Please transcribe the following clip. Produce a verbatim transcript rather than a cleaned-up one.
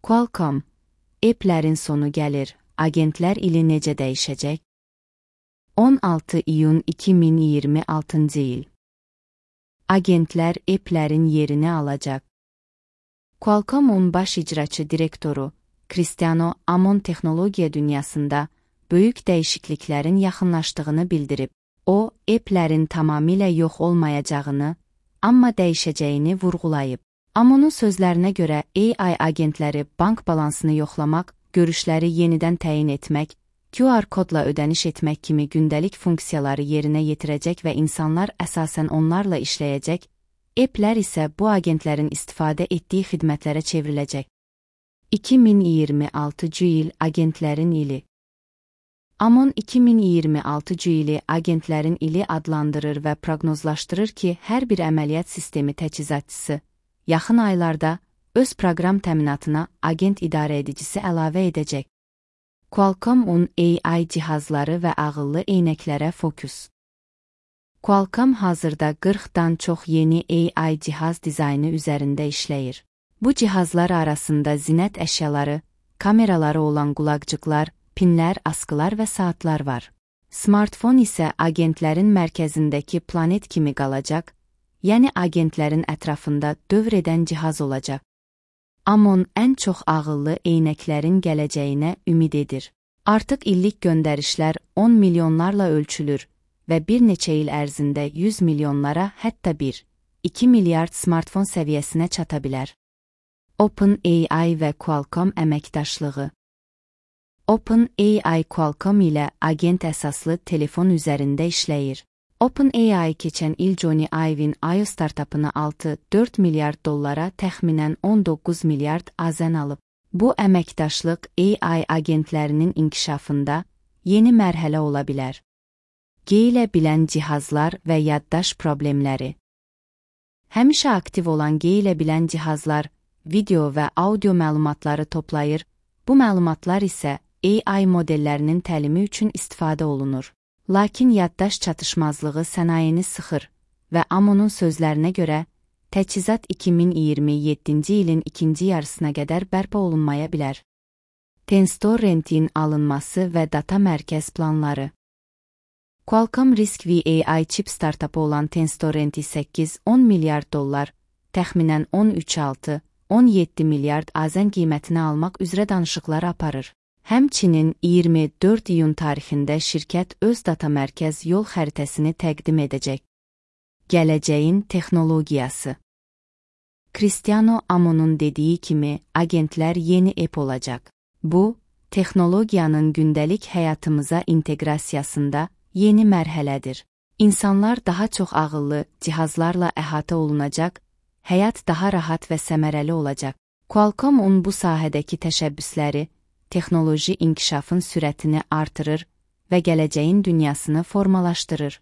Qualcomm, app'lərin sonu gəlir, agentlər ili necə dəyişəcək? on altı iyun iki min iyirmi altıncı il. Agentlər app'lərin yerini alacaq. Qualcomm'un baş icraçı direktoru, Cristiano Amon texnologiya dünyasında böyük dəyişikliklərin yaxınlaşdığını bildirib. O, app'lərin tamamilə yox olmayacağını, amma dəyişəcəyini vurğulayıb. Amonun sözlərinə görə A I agentləri bank balansını yoxlamaq, görüşləri yenidən təyin etmək, Q R kodla ödəniş etmək kimi gündəlik funksiyaları yerinə yetirəcək və insanlar əsasən onlarla işləyəcək, app'lər isə bu agentlərin istifadə etdiyi xidmətlərə çevriləcək. iki min iyirmi altıncı il agentlərin ili. Amon iki min iyirmi altıncı ili agentlərin ili adlandırır və proqnozlaşdırır ki, hər bir əməliyyat sistemi təchizatçısı yaxın aylarda öz proqram təminatına agent idarə edicisi əlavə edəcək. Qualcomm'un A I cihazları və ağıllı eynəklərə fokus. Qualcomm hazırda qırxdan çox yeni A I cihaz dizaynı üzərində işləyir. Bu cihazlar arasında zinət əşyaları, kameraları olan qulaqcıqlar, pinlər, askılar və saatlar var. Smartfon isə agentlərin mərkəzindəki planet kimi qalacaq, yəni agentlərin ətrafında dövr edən cihaz olacaq. Amon ən çox ağıllı eynəklərin gələcəyinə ümid edir. Artıq illik göndərişlər on milyonlarla ölçülür və bir neçə il ərzində yüz milyonlara, hətta bir iki milyard smartfon səviyyəsinə çata bilər. OpenAI və Qualcomm əməkdaşlığı. OpenAI Qualcomm ilə agent əsaslı telefon üzərində işləyir. OpenAI keçən il Johnny Ive'in I O startapını altı dörd milyard dollara təxminən on doqquz milyard azən alıb. Bu əməkdaşlıq A I agentlərinin inkişafında yeni mərhələ ola bilər. Geyilə bilən cihazlar və yaddaş problemləri. Həmişə aktiv olan geyilə bilən cihazlar video və audio məlumatları toplayır, bu məlumatlar isə A I modellərinin təlimi üçün istifadə olunur. Lakin yaddaş çatışmazlığı sənayeni sıxır və Amonun sözlərinə görə, təchizat iki min iyirmi yeddinci ilin ikinci yarısına qədər bərpa olunmaya bilər. Tenstorrent'in alınması və data mərkəz planları. Qualcomm Risk V A I çip startapı olan Tenstorrent'i səkkiz on milyard dollar, təxminən on üç altı on yeddi milyard azən qiymətinə almaq üzrə danışıqlar aparır. Həmçinin iyirmi dörd iyun tarixində şirkət öz data mərkəz yol xəritəsini təqdim edəcək. Gələcəyin texnologiyası. Cristiano Amonun dediyi kimi, agentlər yeni app olacaq. Bu, texnologiyanın gündəlik həyatımıza inteqrasiyasında yeni mərhələdir. İnsanlar daha çox ağıllı cihazlarla əhatə olunacaq, həyat daha rahat və səmərəli olacaq. Qualcomm'un bu sahədəki təşəbbüsləri, texnoloji inkişafın sürətini artırır və gələcəyin dünyasını formalaşdırır.